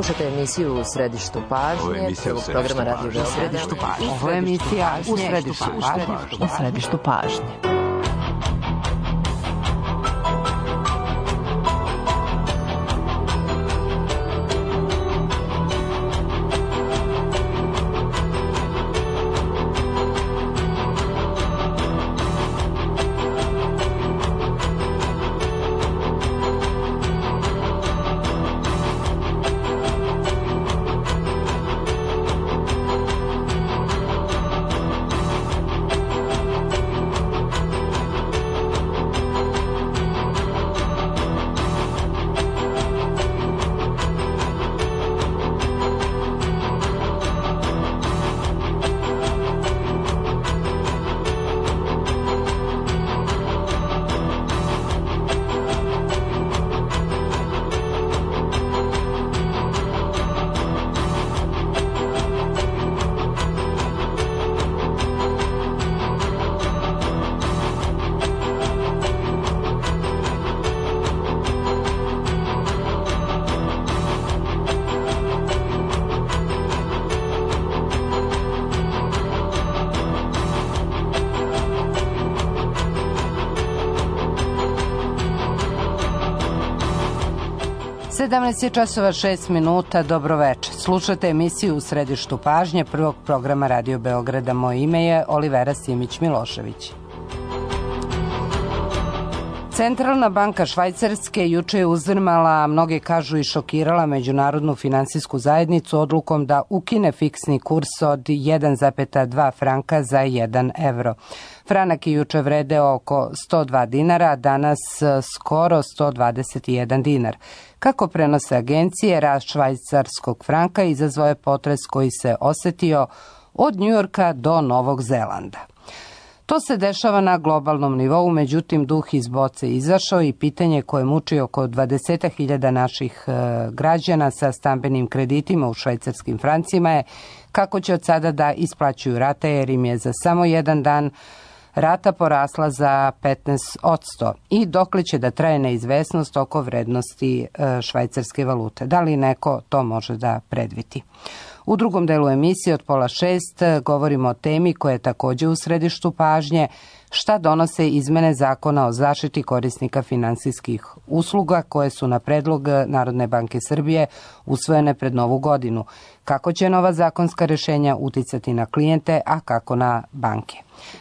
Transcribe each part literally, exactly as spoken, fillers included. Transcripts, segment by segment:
Slušajte emisiju U središtu pažnje, prvog programa Radio Beograda. Ovo je emisija U središtu pažnje. U središtu pažnje. sedamnaest je časova šest minuta, dobroveče. Slušate emisiju U središtu pažnje prvog programa Radio Beograda. Moje ime je Olivera Simić-Milošević. Centralna banka Švajcarske juče je uzdrmala, mnogi kažu i šokirala međunarodnu finansijsku zajednicu odlukom da ukine fiksni kurs od jedan zarez dva franka za jedan evro. Franak je juče vredeo oko sto dva dinara, a danas skoro sto dvadeset jedan dinar. Kako prenose agencije, rast švajcarskog franka izazvao je potres koji se osetio od Njujorka do Novog Zelanda. To se dešava na globalnom nivou, međutim duh iz boce izašao i pitanje koje muči oko dvadeset hiljada naših e, građana sa stambenim kreditima u švajcarskim francima je kako će od sada da isplaćuju rate, jer im je za samo jedan dan rata porasla za petnaest posto i dokle će da traje neizvesnost oko vrednosti e, švajcarske valute. Da li neko to može da predvidi? U drugom delu emisije od pola šest govorimo o temi koja je također u središtu pažnje, šta donose izmene zakona o zaštiti korisnika finansijskih usluga koje su na predlog Narodne banke Srbije usvojene pred Novu godinu. Kako će nova zakonska rješenja uticati na klijente, a kako na banke?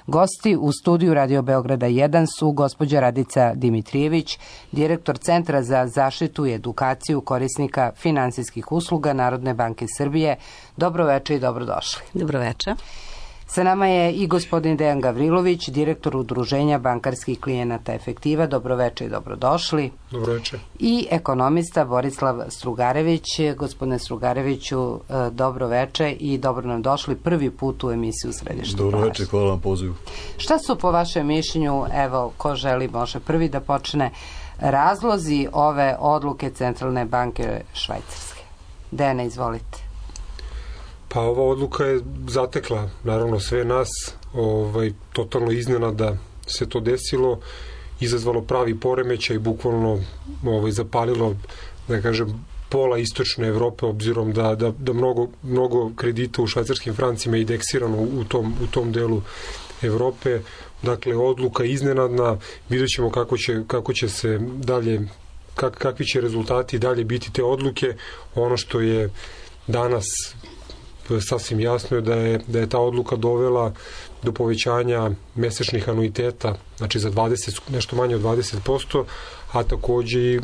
Gosti u studiju Radio Beograda jedan su gospođa Radica Dimitrijević, direktor Centra za zaštitu i edukaciju korisnika finansijskih usluga Narodne banke Srbije. Dobroveče i dobrodošli. Dobroveče. Sa nama je i gospodin Dejan Gavrilović, direktor Udruženja bankarskih klijenata Efektiva. Dobroveče i dobrodošli. Dobroveče. I ekonomista Borislav Strugarević. Gospodine Strugareviću, dobroveče i dobro nam došli prvi put u emisiju Središtu pažnje. Dobroveče, hvala vam pozivu. Šta su po vašem mišljenju, evo, ko želi može prvi da počne, razlozi ove odluke Centralne banke Švajcarske? Dejane, izvolite. Pa ova odluka je zatekla naravno sve nas, ovaj, totalno iznenada se to desilo, izazvalo pravi poremećaj i bukvalno ovaj, zapalilo, da kažem, pola istočne Evrope, obzirom da, da, da mnogo, mnogo kredita u švajcarskim francima je indeksirano u tom, u tom delu Evrope. Dakle, odluka iznenadna, vidjet ćemo kako će, kako će se dalje, kak, kakvi će rezultati dalje biti te odluke. Ono što je danas sasvim jasno je da je, da je ta odluka dovela do povećanja mesečnih anuiteta, znači za dvadeset, nešto manje od dvadeset posto, a takođe i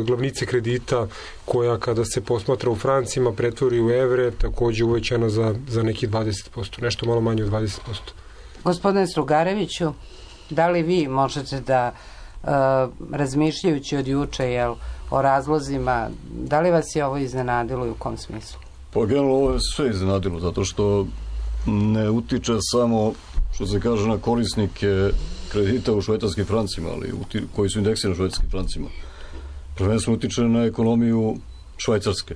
glavnice kredita koja kada se posmatra u francima pretvori u evre, takođe uvećana za, za neki dvadeset posto, nešto malo manje od dvadeset posto. Gospodine Strugareviću, da li vi možete da uh, razmišljajući od juče jel, o razlozima, da li vas je ovo iznenadilo i u kom smislu? Pa generalno ovo je sve iznenadilo, zato što ne utiče samo, što se kaže, na korisnike kredita u švajcarskim francima, ali uti, koji su indeksirani u švajcarskim francima. Prvenstveno utiče na ekonomiju Švajcarske,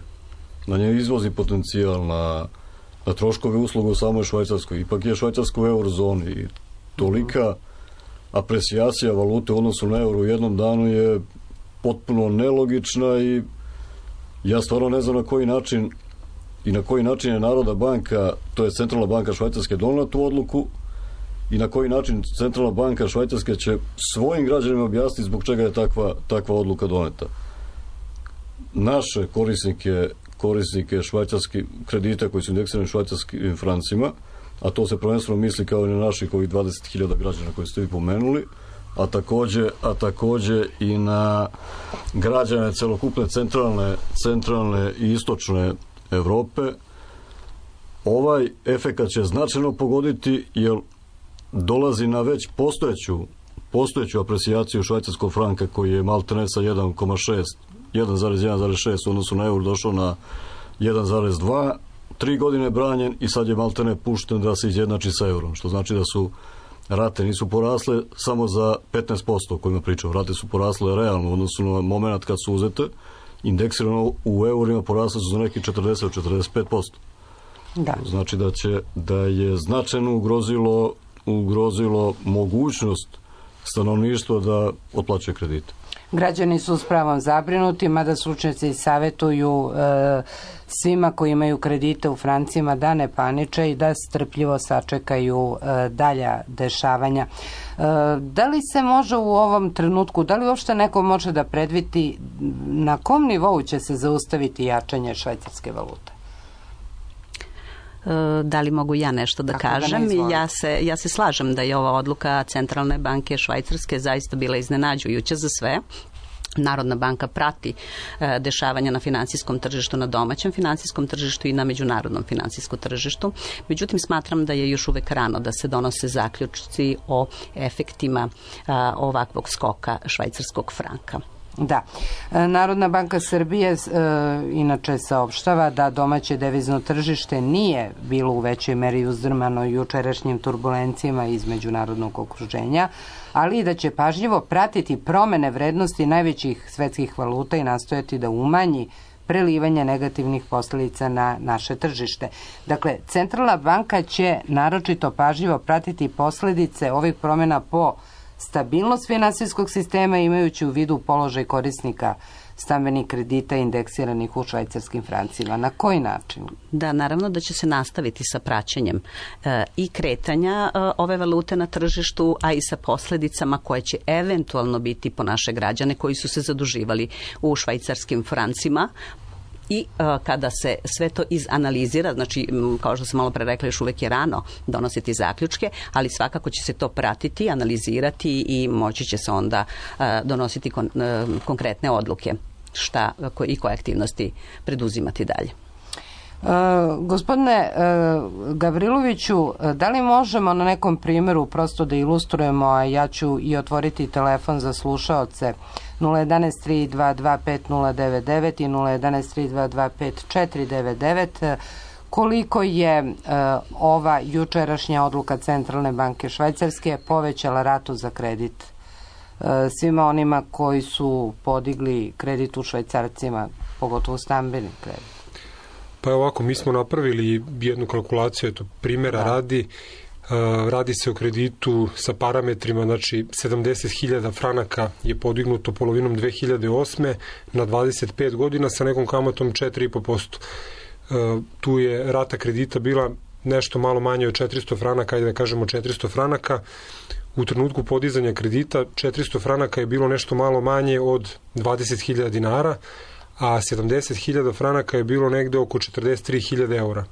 na njen izvozni potencijal, na, na troškove usluga u samoj Švajcarskoj. Ipak je Švajcarska u eurozoni i tolika apresijacija valute u odnosu na euro u jednom danu je potpuno nelogična i Ja stvarno ne znam na koji način i na koji način je Narodna banka, to je Centralna banka Švajcarske, donela tu odluku i na koji način Centralna banka Švajcarske će svojim građanima objasniti zbog čega je takva, takva odluka doneta. Naše korisnike, korisnike švajcarskih kredita koji su indeksirani švajcarskim francima, a to se prvenstveno misli kao i na naših ovih dvadeset hiljada građana koje ste vi pomenuli, a takođe, a takođe i na građane celokupne centralne, centralne i istočne Evrope, ovaj efekat će značajno pogoditi jer dolazi na već postojeću, postojeću aprecijaciju švajcarskog franka koji je maltene sa jedan zarez šest, jedan zarez jedan zarez šest u odnosu na eur došao na jedan zarez dva, tri godine branjen i sad je maltene pušten da se izjednači sa eurom, što znači da su rate nisu porasle samo za petnaest posto o kojima pričam, rate su porasle realno u odnosu na moment kad su uzete, indeksirano u eurima porasle su za neki četrdeset do četrdeset pet posto. Da. Znači da će da je značajno ugrozilo ugrozilo mogućnost stanovništva da otplaćuje kredite. Građani su s pravom zabrinuti, mada stručnjaci savjetuju e, svima koji imaju kredite u francima da ne paniče i da strpljivo sačekaju e, dalja dešavanja. E, da li se može u ovom trenutku, da li uopšte neko može da predvidi na kom nivou će se zaustaviti jačanje švajcarske valute? Da li mogu ja nešto da Tako kažem? Da ja, se, ja se slažem da je ova odluka Centralne banke Švajcarske zaista bila iznenađujuća za sve. Narodna banka prati e, dešavanja na finansijskom tržištu, na domaćem finansijskom tržištu i na međunarodnom finansijskom tržištu. Međutim, smatram da je još uvek rano da se donose zaključci o efektima a, ovakvog skoka švajcarskog franka. Da. Narodna banka Srbije e, inače saopštava da domaće devizno tržište nije bilo u većoj meri uzdrmano jučerašnjim turbulencijama iz međunarodnog okruženja, ali i da će pažljivo pratiti promene vrednosti najvećih svetskih valuta i nastojati da umanji prelivanje negativnih posljedica na naše tržište. Dakle, Centralna banka će naročito pažljivo pratiti posljedice ovih promjena po stabilnost finansijskog sistema imajući u vidu položaj korisnika stambenih kredita indeksiranih u švajcarskim francima. Na koji način? Da, naravno da će se nastaviti sa praćenjem e, i kretanja e, ove valute na tržištu, a i sa posljedicama koje će eventualno biti po naše građane koji su se zaduživali u švajcarskim francima. I uh, kada se sve to izanalizira, znači kao što sam malo pre rekla, još uvek je rano donositi zaključke, ali svakako će se to pratiti, analizirati i moći će se onda uh, donositi kon, uh, konkretne odluke šta ko, i koje aktivnosti preduzimati dalje. Uh, gospodine uh, Gavriloviću, da li možemo na nekom primjeru prosto da ilustrujemo, a ja ću i otvoriti telefon za slušaoce nula jedan tri dva dva pet nula devet devet i nula jedan tri dva dva pet četiri devet devet, koliko je uh, ova jučerašnja odluka Centralne banke Švajcarske povećala ratu za kredit uh, svima onima koji su podigli kredit u švajcarcima, pogotovo stambeni kredit? Pa ovako, mi smo napravili jednu kalkulaciju, eto, primjera da. radi, uh, radi se o kreditu sa parametrima, znači sedamdeset hiljada franaka je podignuto polovinom dve hiljade osme na dvadeset pet godina sa nekom kamatom četiri i po posto. Uh, tu je rata kredita bila nešto malo manje od četiristo franaka, ajde da kažemo četiristo franaka. U trenutku podizanja kredita četiristo franaka je bilo nešto malo manje od dvadeset hiljada dinara, a sedamdeset hiljada franaka je bilo negde oko četrdeset tri hiljade eura.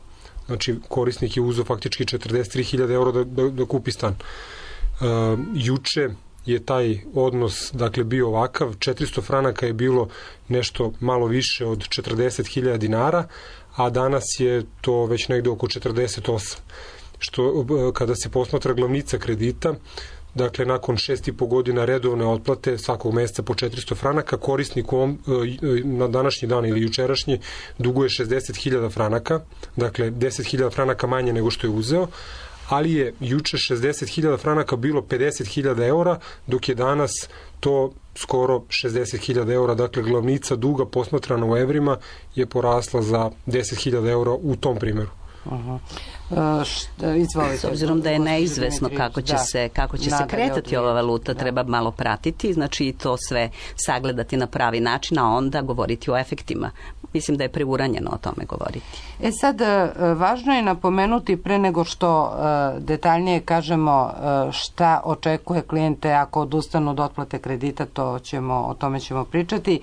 Znači, korisnik je uzeo faktički četrdeset tri hiljade eura da, da, da kupi stan. Uh, juče je taj odnos, dakle, bio ovakav. četiristo franaka je bilo nešto malo više od četrdeset hiljada dinara, a danas je to već negde oko četrdeset osam. Što, kada se posmatra glavnica kredita, dakle, nakon šest i po godina redovne otplate svakog meseca po četiristo franaka, korisnik on, na današnji dan ili jučerašnji duguje šezdeset hiljada franaka, dakle deset hiljada franaka manje nego što je uzeo, ali je juče šezdeset hiljada franaka bilo pedeset hiljada eura, dok je danas to skoro šezdeset hiljada eura, dakle glavnica duga posmatrana u evrima je porasla za deset hiljada eura u tom primjeru. Uh-huh. Uh, šta, izvolite. S obzirom da je neizvesno kako će da. se, kako će se kretati ova valuta, da. treba malo pratiti, znači i to sve sagledati na pravi način, a onda govoriti o efektima. mislim da je preuranjeno o tome govoriti. E sad, važno je napomenuti pre nego što detaljnije kažemo šta očekuje klijente ako odustanu od otplate kredita, to ćemo, o tome ćemo pričati.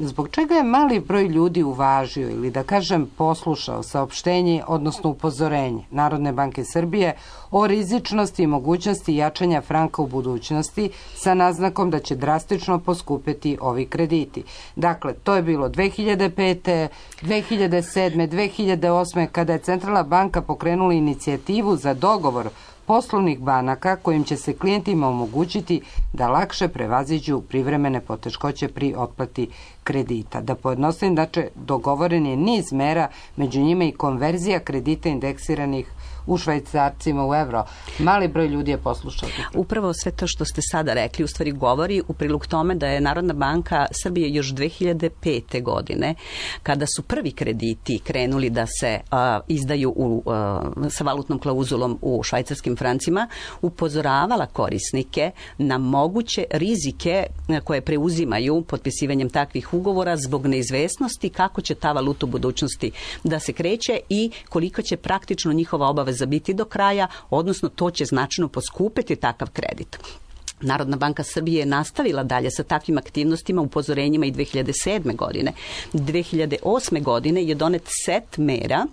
Zbog čega je mali broj ljudi uvažio ili da kažem poslušao saopštenje, odnosno upozorenje Narodne banke Srbije o rizičnosti i mogućnosti jačanja franka u budućnosti sa naznakom da će drastično poskupeti ovi krediti. Dakle, to je bilo dve hiljade pete, dve hiljade sedme, dve hiljade osme kada je Centralna banka pokrenula inicijativu za dogovor poslovnih banaka kojim će se klijentima omogućiti da lakše prevaziđu privremene poteškoće pri otplati kredita. Da pojednostavim, znači, dogovoren je niz mera, među njima i konverzija kredita indeksiranih u švajcarcima u evro. Mali broj ljudi je poslušao. Upravo sve to što ste sada rekli u stvari govori u prilog tome da je Narodna banka Srbije još dve hiljade pete. godine, kada su prvi krediti krenuli da se uh, izdaju u, uh, sa valutnom klauzulom u švajcarskim francima, upozoravala korisnike na moguće rizike koje preuzimaju potpisivanjem takvih ugovora zbog neizvesnosti kako će ta valuta u budućnosti da se kreće i koliko će praktično njihova obaveza za biti do kraja, odnosno to će značajno poskupiti takav kredit. Narodna banka Srbije je nastavila dalje sa takvim aktivnostima, upozorenjima i dve hiljade sedme. godine. dve hiljade osme. godine je donet set mera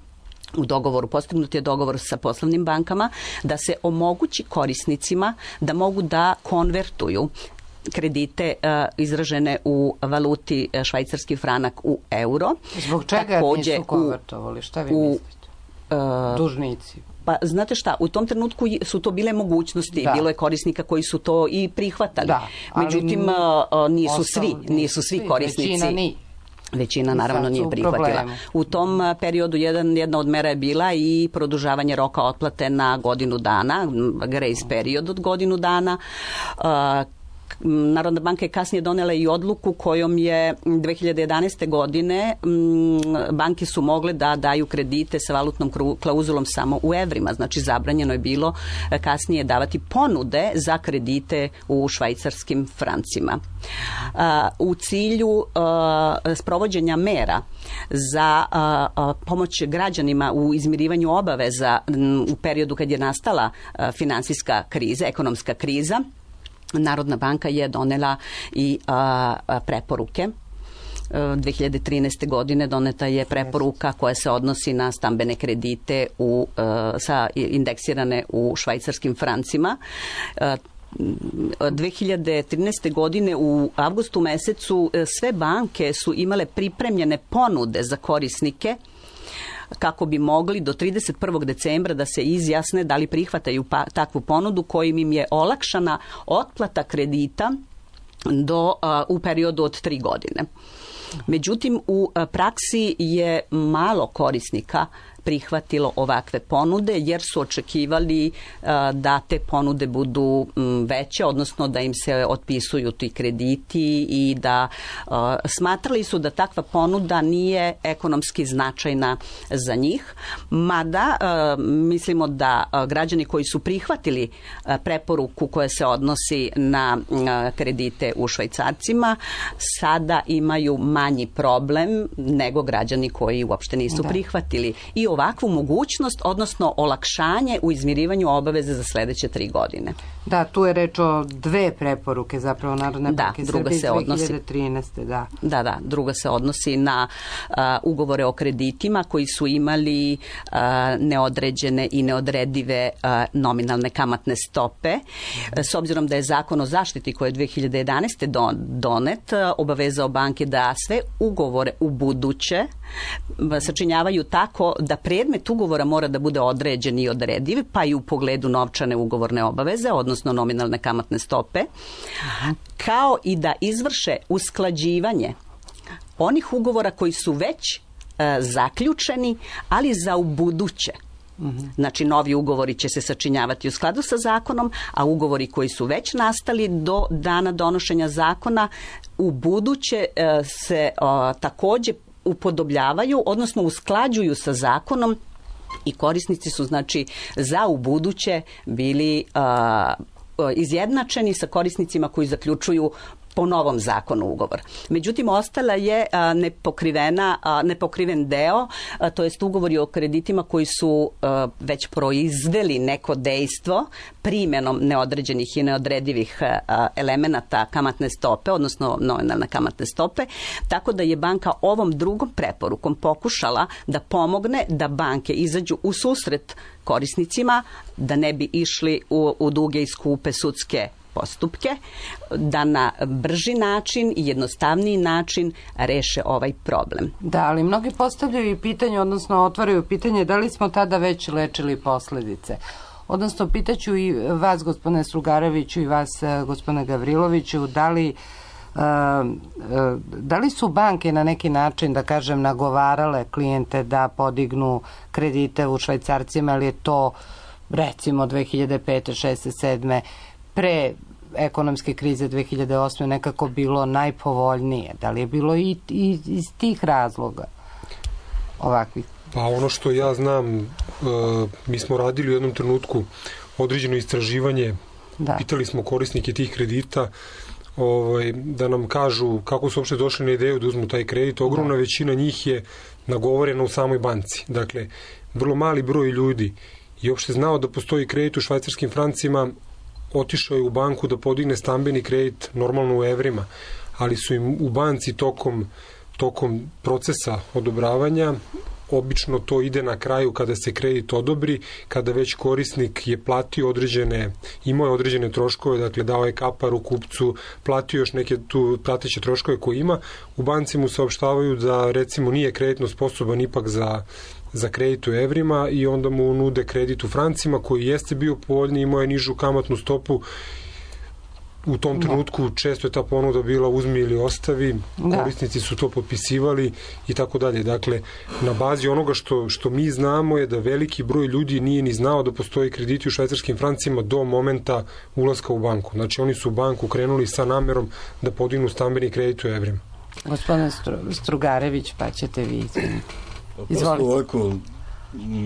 u dogovoru, postignut je dogovor sa poslovnim bankama da se omogući korisnicima da mogu da konvertuju kredite uh, izražene u valuti uh, švajcarski franak u euro. Zbog čega Takođe, nisu konvertovali? Šta vi u, mislite? Uh, Dužnici. Pa znate šta, u tom trenutku su to bile mogućnosti, da. Bilo je korisnika koji su to i prihvatali. Da, međutim, uh, nisu svi, nisu svi korisnici. Većina nije. Većina naravno nije prihvatila. U tom periodu jedan, jedna od mera je bila i produžavanje roka otplate na godinu dana, grace period od godinu dana. Uh, Narodna banka je kasnije donela i odluku kojom je dve hiljade jedanaeste. godine banke su mogle da daju kredite sa valutnom klauzulom samo u evrima. Znači zabranjeno je bilo kasnije davati ponude za kredite u švajcarskim francima. U cilju sprovođenja mera za pomoć građanima u izmirivanju obaveza u periodu kad je nastala finansijska kriza, ekonomska kriza, Narodna banka je donela i a, a, preporuke. dve hiljade trinaeste. godine doneta je preporuka koja se odnosi na stambene kredite u, a, sa indeksirane u švajcarskim francima. A, dve hiljade trinaeste. godine u avgustu mesecu sve banke su imale pripremljene ponude za korisnike kako bi mogli do trideset prvog decembra da se izjasne da li prihvataju pa, takvu ponudu kojim im je olakšana otplata kredita do, uh, u periodu od tri godine. Međutim, u praksi je malo korisnika prihvatilo ovakve ponude jer su očekivali uh, da te ponude budu um, veće, odnosno da im se otpisuju ti krediti i da uh, smatrali su da takva ponuda nije ekonomski značajna za njih. Mada uh, mislimo da uh, građani koji su prihvatili uh, preporuku koja se odnosi na uh, kredite u švajcarcima sada imaju manji problem nego građani koji uopšte nisu da. prihvatili. I ovakvu mogućnost, odnosno olakšanje u izmirivanju obaveze za sledeće tri godine. Da, tu je reč o dve preporuke zapravo Narodne banke Srbije iz dve hiljade trinaeste. Da. da, da, druga se odnosi na uh, ugovore o kreditima koji su imali uh, neodređene i neodredive uh, nominalne kamatne stope. S obzirom da je zakon o zaštiti koji je dve hiljade jedanaeste. Don, donet, uh, obavezao banke da sve ugovore u buduće sačinjavaju tako da predmet ugovora mora da bude određen i odrediv, pa i u pogledu novčane ugovorne obaveze, odnosno nominalne kamatne stope, kao i da izvrše usklađivanje onih ugovora koji su već e, zaključeni, ali za u buduće. Znači, novi ugovori će se sačinjavati u skladu sa zakonom, a ugovori koji su već nastali do dana donošenja zakona u buduće e, se o, takođe upodobljavaju, odnosno usklađuju sa zakonom i korisnici su, znači, za u buduće bili uh, izjednačeni sa korisnicima koji zaključuju po novom zakonu ugovor. Međutim, ostala je a, nepokrivena, a, nepokriven deo, a, to jest ugovori o kreditima koji su a, već proizveli neko dejstvo primjenom neodređenih i neodredivih a, elemenata kamatne stope, odnosno nominalne kamatne stope, tako da je banka ovom drugom preporukom pokušala da pomogne da banke izađu u susret korisnicima, da ne bi išli u, u duge i skupe sudske postupke, da na brži način i jednostavniji način reše ovaj problem. Da, ali mnogi postavljaju i pitanje, odnosno otvaraju pitanje da li smo tada već lečili posledice. Odnosno, pitaću i vas, gospodine Strugareviću, i vas, gospodine Gavriloviću, da li, da li su banke na neki način, da kažem, nagovarale klijente da podignu kredite u švajcarcima, ali je to, recimo, dve hiljade pete, šeste, sedme pre ekonomske krize dve hiljade osme nekako bilo najpovoljnije? Da li je bilo i, i iz tih razloga ovakvih? Pa ono što ja znam, uh, mi smo radili u jednom trenutku određeno istraživanje, da. Pitali smo korisnike tih kredita ovaj, da nam kažu kako su uopšte došli na ideju da uzmu taj kredit. Ogromna da. većina njih je nagovorena u samoj banci. Dakle, vrlo mali broj ljudi je uopšte znao da postoji kredit u švajcarskim francima, otišao je u banku da podigne stambeni kredit normalno u evrima, ali su im u banci tokom, tokom procesa odobravanja, obično to ide na kraju kada se kredit odobri, kada već korisnik je platio određene, imao je određene troškove, dakle dao je kaparu kupcu, platio još neke tu prateće troškove koje ima, u banci mu saopštavaju da recimo nije kreditno sposoban ipak za za kredit u evrima i onda mu nude kredit u francima koji jeste bio povoljniji, imao je nižu kamatnu stopu. U tom trenutku često je ta ponuda bila uzmi ili ostavi, da. Korisnici su to potpisivali i tako dalje. Dakle, na bazi onoga što, što mi znamo je da veliki broj ljudi nije ni znao da postoji krediti u švajcarskim francima do momenta ulaska u banku. Znači, oni su u banku krenuli sa namerom da podignu stambeni kredit u evrima. Gospodin Strugarević, pa ćete vi izviniti. Prosto ovako,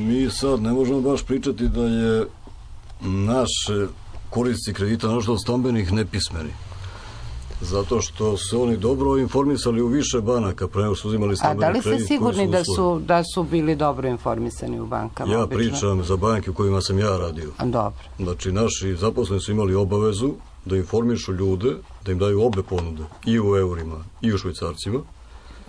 mi sad ne možemo baš pričati da je naše korisnici kredita, našto od stambenih, nepismeni. Zato što se oni dobro informisali u više banaka pre nego su uzimali stambeni kredit. A da li ste sigurni da su, da su bili dobro informisani u bankama? Ja obično? Pričam za banke u kojima sam ja radio. A, dobro. Znači, naši zaposleni su imali obavezu da informišu ljude, da im daju obe ponude, i u eurima, i u švajcarcima.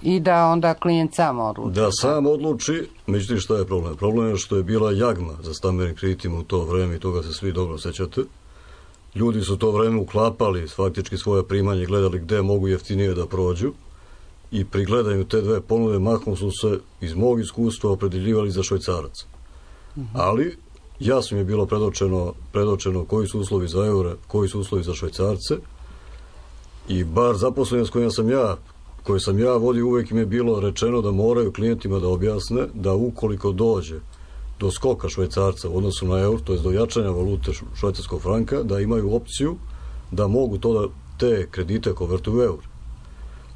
I da onda klijent sam odluči. Da sam odluči, međutim šta je problem? Problem je što je bila jagma za stambenim kreditima u to vreme i toga se svi dobro sećate. Ljudi su to vreme uklapali faktički svoje primanje, gledali gde mogu jeftinije da prođu i pri gledanju te dve ponude mahom su se iz mog iskustva opredeljivali za švajcarac. Uh-huh. Ali jasno mi je bilo predočeno, predočeno koji su uslovi za eure, koji su uslovi za švajcarce i bar zaposleni s kojima sam ja koje sam ja vodio, uvek im je bilo rečeno da moraju klijentima da objasne da ukoliko dođe do skoka švajcarca u odnosu na eur, to je do jačanja valute švajcarskog franka, da imaju opciju da mogu to da te kredite konvertuju u eur.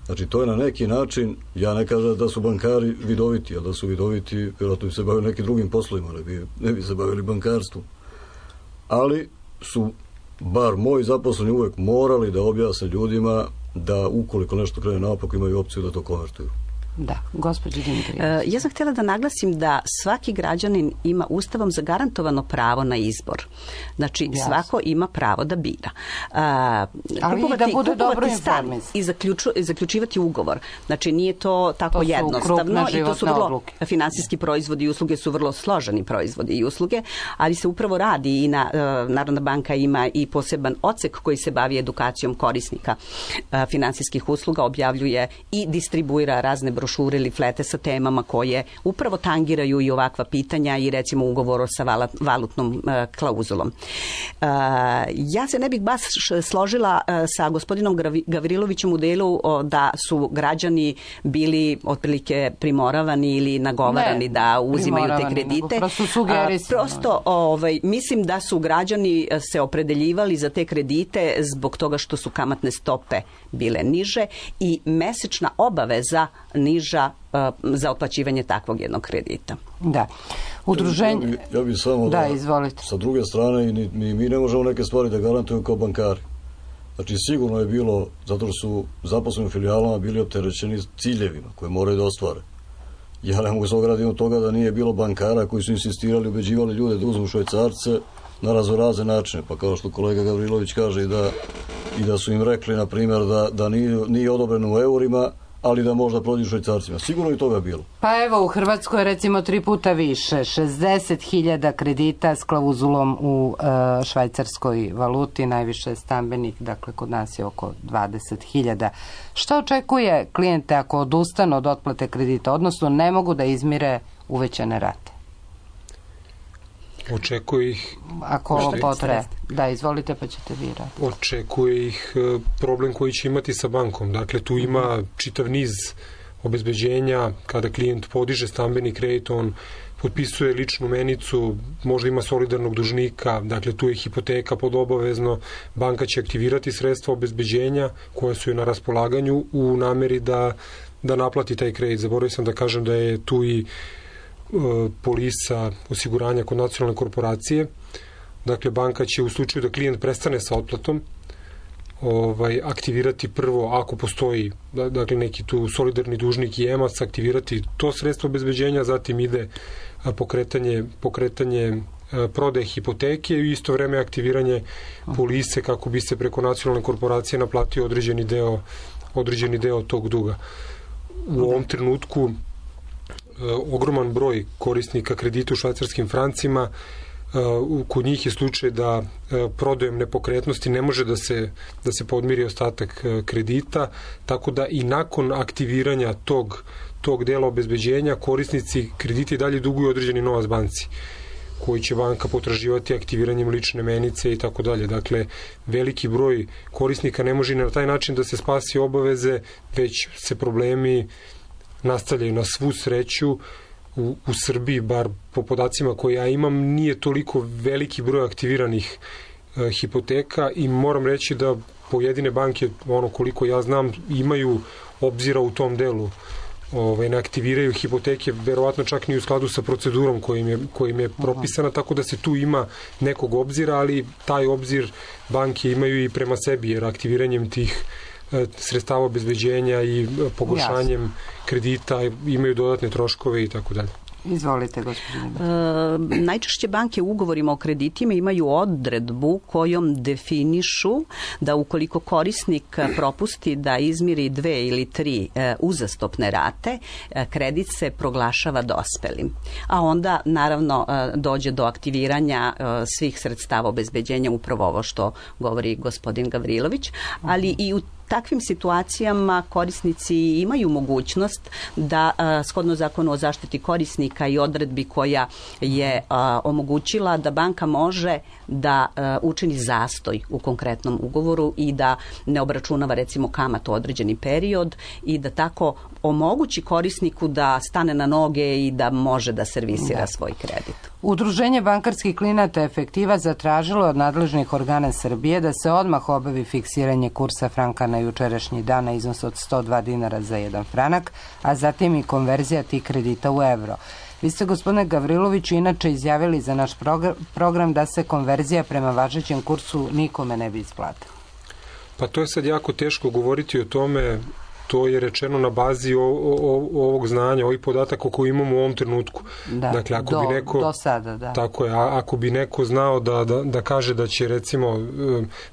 Znači, to je na neki način, ja ne kažem da su bankari vidoviti, a da su vidoviti, vjerojatno bi se bavili nekim drugim poslovima, ne bi, ne bi se bavili bankarstvom. Ali su, bar moji zaposleni, uvek morali da objasne ljudima da ukoliko nešto krene naopako imaju opciju da to konvertuju. Da, gospođo Dimitrijević. Ja sam htjela da naglasim da svaki građanin ima ustavom zagarantovano pravo na izbor. Znači, Jasno. svako ima pravo da bira. A, Ali kupovati, i da bude dobro informisan. I zaključu, zaključivati ugovor. Znači, nije to tako to jednostavno. I to su vrlo, odluke. Finansijski proizvodi i usluge su vrlo složeni proizvodi i usluge, ali se upravo radi i na, Narodna banka ima i poseban odsek koji se bavi edukacijom korisnika finansijskih usluga, objavljuje i distribuira razne brošure ili flete sa temama koje upravo tangiraju i ovakva pitanja i recimo ugovor sa valutnom uh, klauzulom. Uh, ja se ne bih baš složila uh, sa gospodinom Gavrilovićem u delu uh, da su građani bili otprilike primoravani ili nagovarani ne, da uzimaju te kredite. Prosto sugerisano. Uh, prosto ovaj, mislim da su građani se opredeljivali za te kredite zbog toga što su kamatne stope bile niže i mesečna obaveza niža uh, za otplaćivanje takvog jednog kredita. Da. Udruženje... Ja bi, ja bi samo da, da, izvolite. Sa druge strane, mi, mi ne možemo neke stvari da garantujemo kao bankari. Znači sigurno je bilo, zato što su zaposleni u filijalama bili opterećeni ciljevima koje moraju da ostvare. Ja ne mogu se ograditi od toga da nije bilo bankara koji su insistirali, ubeđivali ljude da uzmu švajcarce na raznorazne načine, pa kao što kolega Gavrilović kaže i da, i da su im rekli, na primjer, da, da nije, nije odobreno u eurima, ali da možda prođu švajcarcima. Sigurno i toga je bilo. Pa evo, u Hrvatskoj je recimo tri puta više, šezdeset hiljada kredita s klauzulom u e, švajcarskoj valuti, najviše stambenih, dakle kod nas je oko dvadeset hiljada. Šta očekuje klijente ako odustanu od otplate kredita, odnosno ne mogu da izmire uvećane rate? Očekuje ih... Ako ovo potraje. Da, izvolite pa ćete vi raditi. Očekuje ih problem koji će imati sa bankom. Dakle, tu ima čitav niz obezbeđenja. Kada klijent podiže stambeni kredit, on potpisuje ličnu menicu, možda ima solidarnog dužnika, dakle tu je hipoteka pod obavezno, banka će aktivirati sredstva obezbeđenja koja su je na raspolaganju u nameri da, da naplati taj kredit. Zaboravio sam da kažem da je tu i polisa osiguranja kod nacionalne korporacije. Dakle, banka će u slučaju da klijent prestane sa otplatom ovaj, aktivirati prvo, ako postoji dakle, neki tu solidarni dužnik i emac, aktivirati to sredstvo obezbeđenja, zatim ide pokretanje, pokretanje prodaje hipoteke i isto vreme aktiviranje polise kako bi se preko nacionalne korporacije naplatio određeni deo, određeni deo tog duga. U ovom trenutku ogroman broj korisnika kredita u švajcarskim francima, kod njih je slučaj da prodajem nepokretnosti ne može da se, da se podmiri ostatak kredita, tako da i nakon aktiviranja tog, tog dela obezbeđenja korisnici kredita i dalje duguju određeni novac banci koji će banka potraživati aktiviranjem lične menice i tako dalje. Dakle, veliki broj korisnika ne može na taj način da se spasi obaveze, već se problemi nastavljaju. Na svu sreću u, u Srbiji, bar po podacima koje ja imam, nije toliko veliki broj aktiviranih e, hipoteka i moram reći da pojedine banke, ono koliko ja znam, imaju obzira u tom delu. Ovaj, ne aktiviraju hipoteke, verovatno čak ni u skladu sa procedurom kojim je, kojim je propisana, tako da se tu ima nekog obzira, ali taj obzir banke imaju i prema sebi, jer aktiviranjem tih sredstava obezbeđenja i pogoršanjem Jasne. kredita imaju dodatne troškove i tako dalje. Izvolite, gospođo. E, najčešće banke u ugovorima o kreditima imaju odredbu kojom definišu da ukoliko korisnik propusti da izmiri dve ili tri e, uzastopne rate, e, kredit se proglašava dospelim. A onda, naravno, e, dođe do aktiviranja e, svih sredstava obezbeđenja, upravo ovo što govori gospodin Gavrilović, ali i u takvim situacijama korisnici imaju mogućnost da a, shodno zakonu o zaštiti korisnika i odredbi koja je a, omogućila da banka može da a, učini zastoj u konkretnom ugovoru i da ne obračunava recimo kamatu određeni period i da tako omogući korisniku da stane na noge i da može da servisira da. svoj kredit. Udruženje bankarskih klijenata Efektiva zatražilo od nadležnih organa Srbije da se odmah obavi fiksiranje kursa franka na jučerašnji dan na iznos od sto dva dinara za jedan franak, a zatim i konverzija tih kredita u evro. Vi ste, gospodine Gavriloviću, inače izjavili za naš program da se konverzija prema važećem kursu nikome ne bi isplatila. Pa to je sad jako teško govoriti o tome. To je rečeno na bazi o, o, ovog znanja, ovih podataka koje imamo u ovom trenutku. Da, dakle, ako do, bi neko, do sada, da. Tako je, a, ako bi neko znao da, da, da kaže da će, recimo,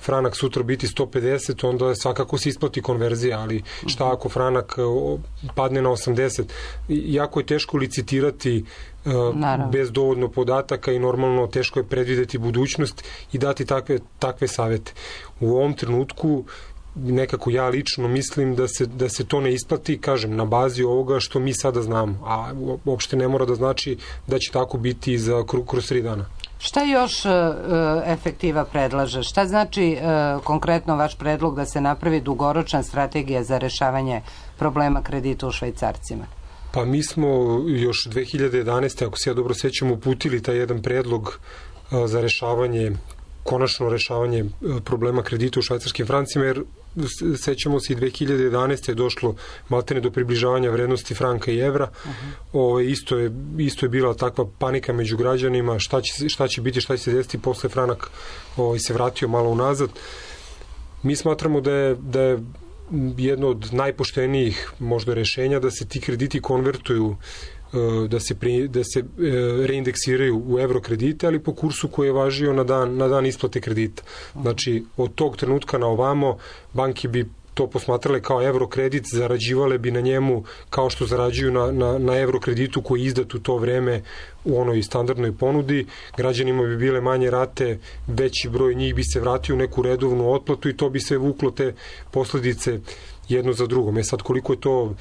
franak sutra biti sto pedeset, onda svakako se isplati konverzija, ali šta ako franak padne na osamdeset? Jako je teško licitirati Naravno. bez dovoljno podataka i normalno teško je predvideti budućnost i dati takve, takve savete. U ovom trenutku nekako ja lično mislim da se, da se to ne isplati, kažem, na bazi ovoga što mi sada znamo, a uopšte ne mora da znači da će tako biti za kroz tri dana. Šta još e, Efektiva predlaže? Šta znači e, konkretno vaš predlog da se napravi dugoročna strategija za rešavanje problema kredita u švajcarcima? Pa mi smo još dve hiljade jedanaeste. ako se ja dobro sećam, uputili taj jedan predlog e, za rešavanje konačno rešavanje problema kredita u švajcarskim francima, jer sećamo se i dve hiljade jedanaeste. je došlo maltene do približavanja vrednosti franka i evra. Uh-huh. Ove, isto, je, isto je bila takva panika među građanima, šta će, šta će biti, šta će se desiti, posle franak ovaj, se vratio malo unazad. Mi smatramo da je, da je jedno od najpoštenijih možda rešenja da se ti krediti konvertuju, da se, pri, da se reindeksiraju u evro kredite, ali po kursu koji je važio na dan, na dan isplate kredita. Znači, od tog trenutka na ovamo banke bi to posmatrale kao evro kredit, zarađivale bi na njemu kao što zarađuju na, na, na evro kreditu koji je izdat u to vreme u onoj standardnoj ponudi. Građanima bi bile manje rate, veći broj njih bi se vratio u neku redovnu otplatu i to bi se vuklo te posledice jedno za drugom. E sad, koliko je to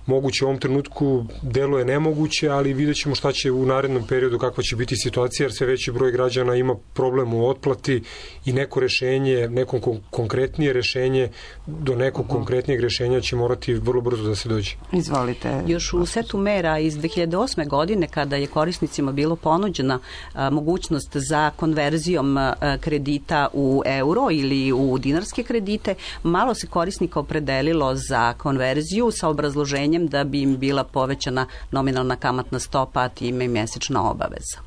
moguće u ovom trenutku, deluje nemoguće, ali vidjet ćemo šta će u narednom periodu, kakva će biti situacija, jer sve veći broj građana ima problem u otplati i neko rešenje, neko konkretnije rešenje, do nekog konkretnijeg rešenja će morati vrlo brzo da se dođe. Izvolite. Još u setu mera iz dve hiljade osme. godine, kada je korisnicima bilo ponuđena a, mogućnost za konverzijom a, kredita u euro ili u dinarske kredite, malo se korisnika opredelilo za konverziju sa obrazloženjem da bi im bila povećana nominalna kamatna stopa, a time i mesečna obaveza.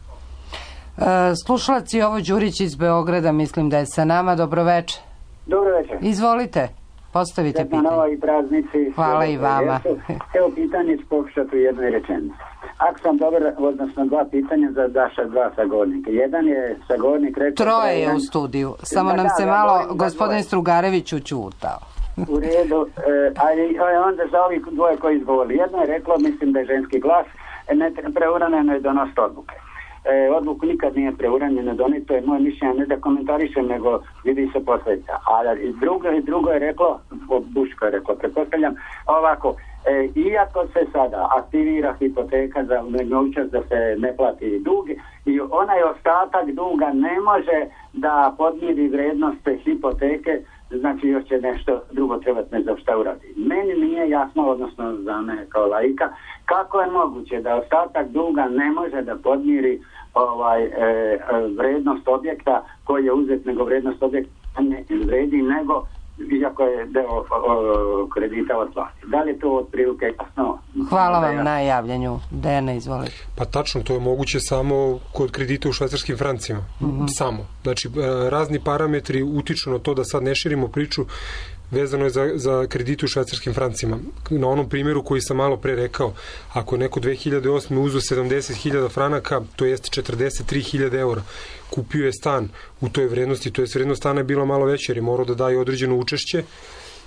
E, slušalac Jovo Đurić iz Beograda, mislim da je sa nama. Dobroveče. Dobroveče. Izvolite, postavite pitanje. Na novoj praznici. Hvala i vama. Evo pitanje ću pokušati u jednoj rečenici. Ako sam dobar, odnosno dva pitanja za Daša, dva sagovornika. Jedan je sagovornik rekao... Troje je u studiju. Samo nam se malo gospodin Strugarević učutao. U redu, e, ali onda za ovih dvoje koji izgovorili. Jedno je reklo, mislim da je ženski glas, ne, preuranjeno je donositi odluke. E, odluku nikad nije preuranjeno doniti, to je moje mišljenje, ne da komentarišem, nego vidi se posljedica. A drugo, drugo je reklo, Buško je reklo, pretpostavljam, ovako, e, iako se sada aktivira hipoteka za mogućnost da se ne plati dug, i onaj ostatak duga ne može da podmiri vrednost hipoteke, znači još će nešto drugo trebati ne za šta uradi. Meni nije jasno, odnosno za mene kao laika, kako je moguće da ostatak duga ne može da podmiri ovaj, e, vrednost objekta koji je uzet, nego vrednost objekta ne vredi, nego iako je deo o, o, kredita otplati. Da li je to otprilike jasno? Hvala vam na javljanju. Dejana, izvolite. Pa tačno, to je moguće samo kod kredita u švajcarskim francima. Mm-hmm. Samo. Znači, razni parametri utiču na to, da sad ne širimo priču, vezano je za, za kredite u švajcarskim francima. Na onom primjeru koji sam malo pre rekao, ako neko dve hiljade osme uzeo sedamdeset hiljada franaka, to jest četrdeset tri hiljade eura, kupio je stan u toj vrednosti, to jest vrednost stana je bila malo veća jer je morao da daje određeno učešće.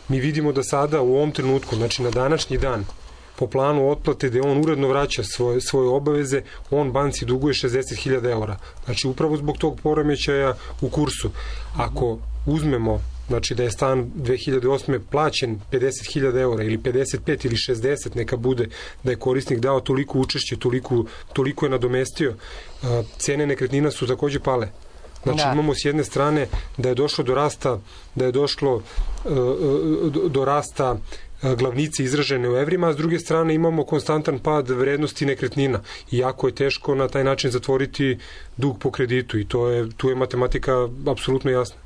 Mi vidimo da sada u ovom trenutku, znači na današnji dan, po planu otplate gde on uredno vraća svoje, svoje obaveze, on banci duguje šezdeset hiljada eura. Znači upravo zbog tog poremećaja u kursu. Ako uzmemo, znači da je stan dve hiljade osme plaćen pedeset hiljada eura ili pedeset pet ili šezdeset, neka bude da je korisnik dao toliko učešće, toliko, toliko je nadomestio, cene nekretnina su takođe pale. Znači da. Imamo s jedne strane da je došlo do rasta, da je došlo do, do rasta glavnice izražene u evrima, a s druge strane imamo konstantan pad vrednosti nekretnina i jako je teško na taj način zatvoriti dug po kreditu i to je, tu je matematika apsolutno jasna.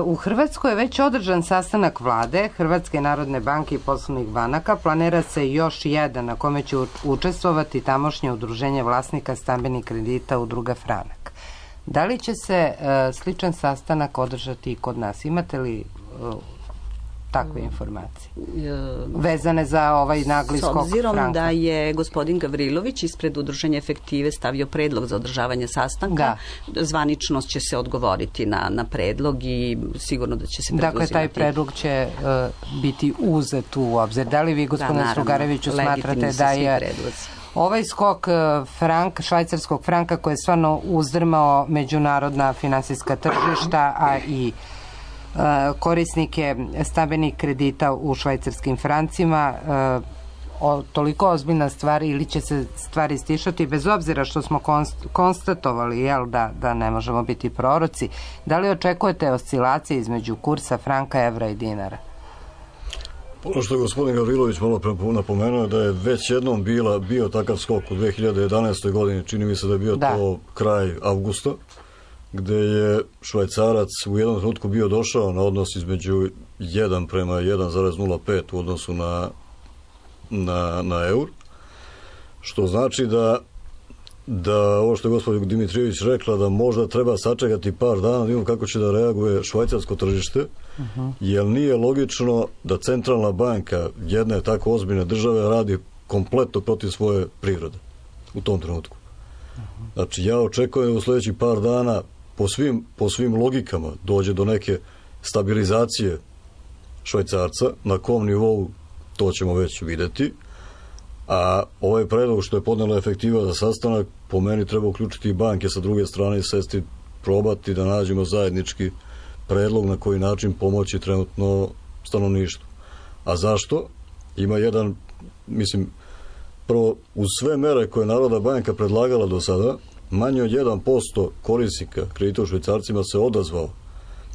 U Hrvatskoj je već održan sastanak vlade, Hrvatske narodne banke i poslovnih banaka. Planira se još jedan na kome će učestvovati tamošnje udruženje vlasnika stambenih kredita Udruga Franak. Da li će se uh, sličan sastanak održati i kod nas? Imate li uh, takve informacije vezane za ovaj nagli skok franka? S obzirom da je gospodin Gavrilović ispred Udruženja Efektive stavio predlog za održavanje sastanka, da. Zvaničnost će se odgovoriti na, na predlog i sigurno da će se preduzimati. Dakle, taj predlog će uh, biti uzet u obzir. Da li vi, gospodine da, Strugareviću, smatrate da je predlozi. Ovaj skok frank, švajcarskog franka koji je stvarno uzdrmao međunarodna finansijska tržišta, a i korisnike stambenih kredita u švajcarskim francima, o, toliko ozbiljna stvar ili će se stvari stišati, bez obzira što smo konst, konstatovali jel, da, da ne možemo biti proroci. Da li očekujete oscilacije između kursa franka, evra i dinara? Ono što je gospodin Gavrilović malo napomenuo da je već jednom bila, bio takav skok u dve hiljade jedanaestoj godini, čini mi se da je bio da. to kraj avgusta, gde je švajcarac u jednom trenutku bio došao na odnos između jedan prema jedan zarez nula pet u odnosu na, na, na eur, što znači da da ovo što je gospodin Dimitrijević rekla, da možda treba sačekati par dana da vidimo kako će da reaguje švajcarsko tržište, uh-huh. jer nije logično da centralna banka jedne tako ozbiljne države radi kompletno protiv svoje prirode u tom trenutku. Uh-huh. Znači, ja očekujem da u sljedećih par dana po svim, po svim logikama dođe do neke stabilizacije švajcarca, na kom nivou to ćemo već videti. A ovaj predlog što je podnela efektiva za sastanak, po meni treba uključiti i banke sa druge strane i sesti, probati da nađemo zajednički predlog na koji način pomoći trenutno stanovništvu. A zašto? Ima jedan, mislim, prvo, uz sve mere koje Narodna banka predlagala do sada, manje od jedan posto korisnika kredita u švajcarcima se odazvao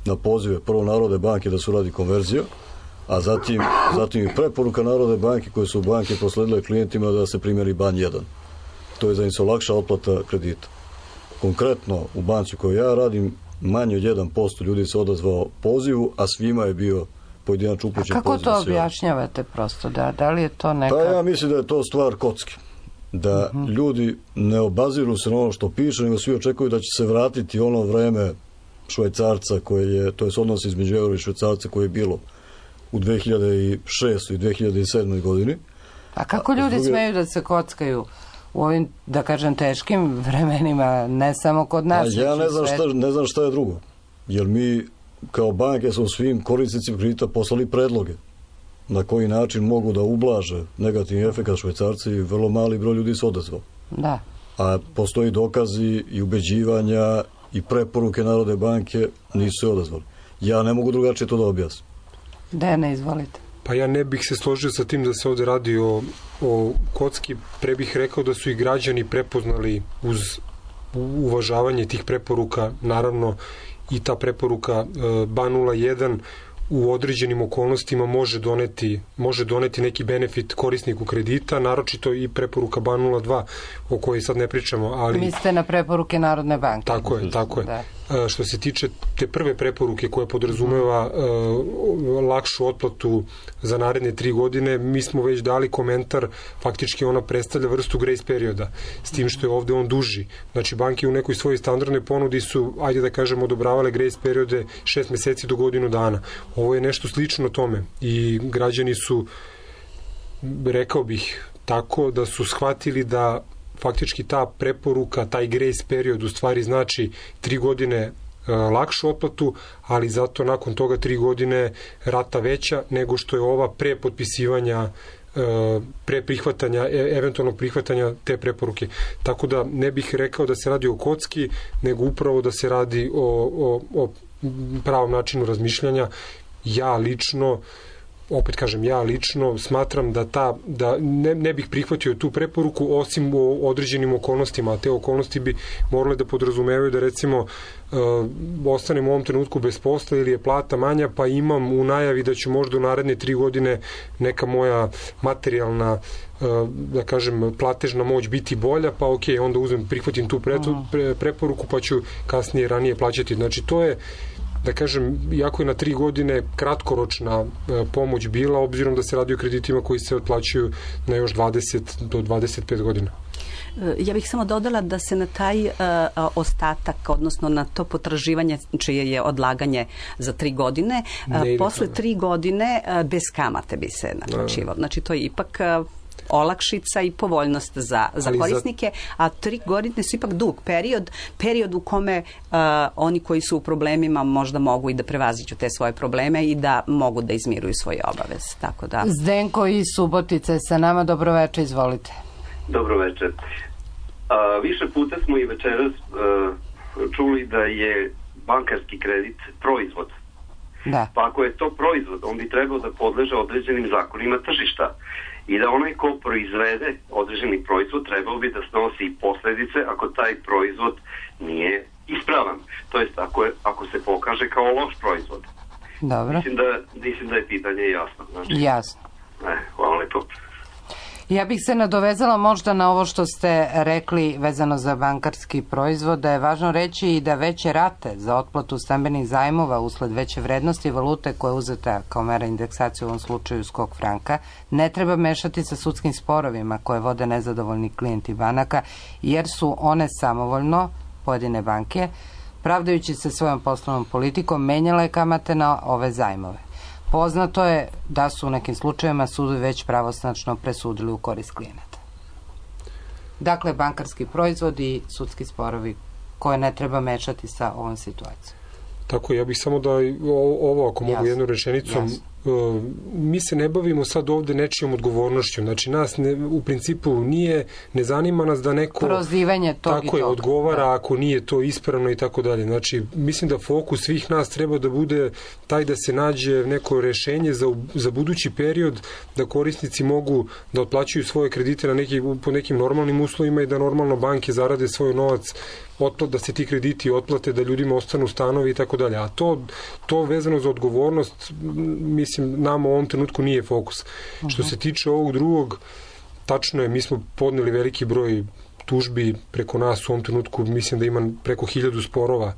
na pozive prvo Narodne banke da se uradi konverzija, a zatim, zatim i preporuka Narodne banke koje su banke prosledile klijentima da se primjeri ban jedan. To je za im se olakša otplata kredita. Konkretno u banci koju ja radim, manje od jedan posto ljudi se odazvao pozivu, a svima je bio pojedinačno upućen poziv. A kako to objašnjavate prosto? Da, da li je to neka... Pa ja mislim da je to stvar kocke. Da uh-huh. ljudi ne obaziru se na ono što piše, nego svi očekuju da će se vratiti ono vreme švajcarca koje je, to je odnos između eura i švajcarca koje je bilo u dve hiljade šestoj i dve hiljade sedmoj godini. A kako ljudi druge... smeju da se kockaju u ovim, da kažem, teškim vremenima, ne samo kod nas? A ja ne znam, šta, ne znam šta je drugo. Jer mi kao banke smo svim korisnicima kredita poslali predloge na koji način mogu da ublaže negativni efekt švajcarci i vrlo mali broj ljudi se odazvao. Da. A postoji dokazi i ubeđivanja i preporuke Narodne banke, nisu se odazvali. Ja ne mogu drugačije to da objasnim. Dejane, izvolite. Pa ja ne bih se složio sa tim da se ovde radi o, o kocki, pre bih rekao da su i građani prepoznali uz uvažavanje tih preporuka, naravno i ta preporuka e, ban nula jedan u određenim okolnostima može doneti, može doneti neki benefit korisniku kredita, naročito i preporuka ban nula dva o kojoj sad ne pričamo. Ali... Mislite na preporuke Narodne banke? Tako je, tako je. Da. E, što se tiče te prve preporuke koja podrazumeva e, lakšu otplatu za naredne tri godine, mi smo već dali komentar, faktički ona predstavlja vrstu grace perioda, s tim što je ovde on duži. Znači, banke u nekoj svojoj standardnoj ponudi su, ajde da kažemo, odobravale grace periode šest meseci do godinu dana. Ovo je nešto slično tome i građani su, rekao bih tako, da su shvatili da faktički ta preporuka, taj grace period u stvari znači tri godine e, lakšu otplatu, ali zato nakon toga tri godine rata veća nego što je ova pre potpisivanja, e, pre prihvatanja, e, eventualnog prihvatanja te preporuke. Tako da ne bih rekao da se radi o kocki, nego upravo da se radi o, o, o pravom načinu razmišljanja. Ja lično, opet kažem, ja lično smatram da ta, da ne, ne bih prihvatio tu preporuku osim u određenim okolnostima, a te okolnosti bi morale da podrazumevaju da recimo uh, ostanem u ovom trenutku bez posla ili je plata manja, pa imam u najavi da ću možda u naredne tri godine neka moja materijalna uh, da kažem platežna moć biti bolja, pa ok, onda uzmem, prihvatim tu pre, pre, preporuku pa ću kasnije ranije plaćati. Znači to je, da kažem, iako je na tri godine kratkoročna e, pomoć bila, obzirom da se radi o kreditima koji se otplaćuju na još dvadeset do dvadeset pet godina. Ja bih samo dodala da se na taj uh, ostatak, odnosno na to potraživanje čije je odlaganje za tri godine, uh, posle tri godine uh, bez kamate bi se naplaćivalo. Znači to je ipak uh, olakšica i povoljnost za, za korisnike, a tri godine su ipak dug period, period u kome uh, oni koji su u problemima možda mogu i da prevaziđu te svoje probleme i da mogu da izmiruju svoje obaveze. Tako da... Zdenko iz Subotice sa nama, dobroveče, izvolite. Dobroveče. A, više puta smo i večeras a, čuli da je bankarski kredit proizvod. Da. Pa ako je to proizvod, on bi trebao da podleže određenim zakonima tržišta i da onaj ko proizvede određeni proizvod trebao bi da snosi i posledice ako taj proizvod nije ispravan. To jest ako, je, ako se pokaže kao loš proizvod. Dobro. Mislim da, mislim da je pitanje jasno. Znači, jasno. Ne, hvala lepo. Ja bih se nadovezala možda na ovo što ste rekli vezano za bankarski proizvod, da je važno reći i da veće rate za otplatu stambenih zajmova usled veće vrednosti valute koja je uzeta kao mera indeksacije u ovom slučaju skok franka, ne treba mešati sa sudskim sporovima koje vode nezadovoljni klijenti banaka, jer su one samovoljno, pojedine banke, pravdajući se svojom poslovnom politikom, menjale kamate na ove zajmove. Poznato je da su u nekim slučajevima sudovi već pravosnačno presudili u korist klijenata. Dakle, bankarski proizvod i sudski sporovi koje ne treba mešati sa ovom situacijom. Tako, ja bih samo da ovo, ako mogu jednu rečenicom, jasno. Mi se ne bavimo sad ovde nečijom odgovornošću. Znači, nas ne, u principu nije, ne zanima nas da neko prozivanje tog tako i toga. je, odgovara da. Ako nije to ispravno i tako dalje. Znači, mislim da fokus svih nas treba da bude taj da se nađe neko rešenje za, za budući period, da korisnici mogu da otplaćuju svoje kredite na neki, po nekim normalnim uslovima i da normalno banke zarade svoj novac, otplat, da se ti krediti otplate, da ljudima ostanu stanovi i tako dalje. A to, to vezano za odgovornost, mislim, nama u ovom trenutku nije fokus. Uh-huh. Što se tiče ovog drugog, tačno je, mi smo podneli veliki broj tužbi preko nas u ovom trenutku, mislim da ima preko hiljadu sporova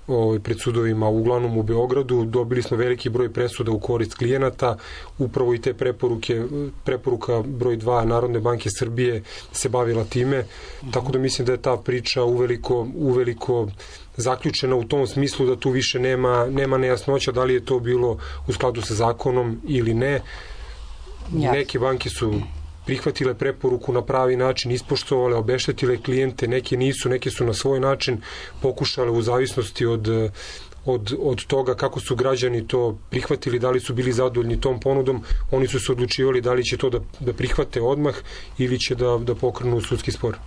ovaj, pred sudovima, uglavnom u Beogradu. Dobili smo veliki broj presuda u korist klijenata, upravo i te preporuke, preporuka broj dva Narodne banke Srbije se bavila time, uh-huh. Tako da mislim da je ta priča uveliko, uveliko zaključena u tom smislu da tu više nema, nema nejasnoća da li je to bilo u skladu sa zakonom ili ne. Ja. Neke banke su prihvatile preporuku na pravi način, ispoštovale, obeštetile klijente, neke nisu, neke su na svoj način pokušale u zavisnosti od, od, od toga kako su građani to prihvatili, da li su bili zadovoljni tom ponudom, oni su se odlučivali da li će to da, da prihvate odmah ili će da, da pokrenu sudski spor.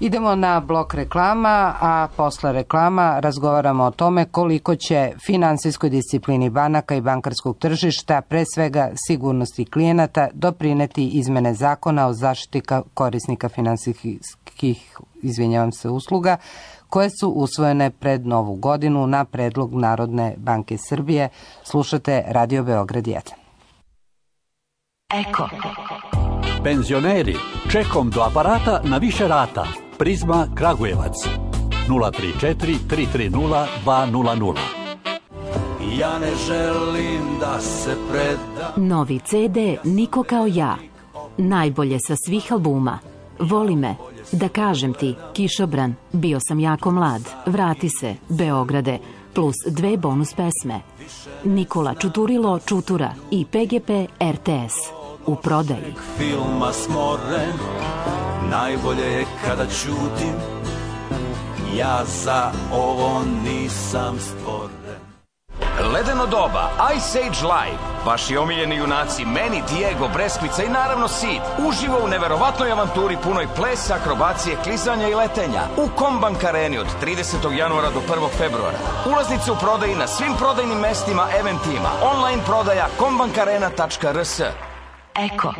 Idemo na blok reklama, a posle reklama razgovaramo o tome koliko će finansijskoj disciplini banaka i bankarskog tržišta, pre svega sigurnosti klijenata, doprineti izmene zakona o zaštiti korisnika finansijskih, izvinjavam se, usluga, koje su usvojene pred Novu godinu na predlog Narodne banke Srbije. Slušate Radio Beograd jedan. Eko. Penzioneri, čekom do aparata na više rata. Prizma Kragujevac nula tri četiri tri tri nula dva nula nula. Ja ne želim da se predam. Novi ce de Niko kao ja. Najbolje sa svih albuma. Voli me, da kažem ti, Kišobran, bio sam jako mlad, vrati se, Beograde, plus dve bonus pesme. Nikola Čuturilo Čutura i pe ge pe er te es. U prodaji. Filma smoren, najbolje je kada ćutim, ja za ovo nisam stvoren. Ledeno doba, Ice Age Live, vaši omiljeni junaci Meni, Diego, Breskvica i naravno Sid, uživo u neverovatnoj avanturi punoj plesa, akrobacije, klizanja i letenja u Kombank Areni od tridesetog januara do prvog februara. Ulaznice u prodaji na svim prodajnim mestima, eventima, online prodaja kombankarena tačka er es. Eko.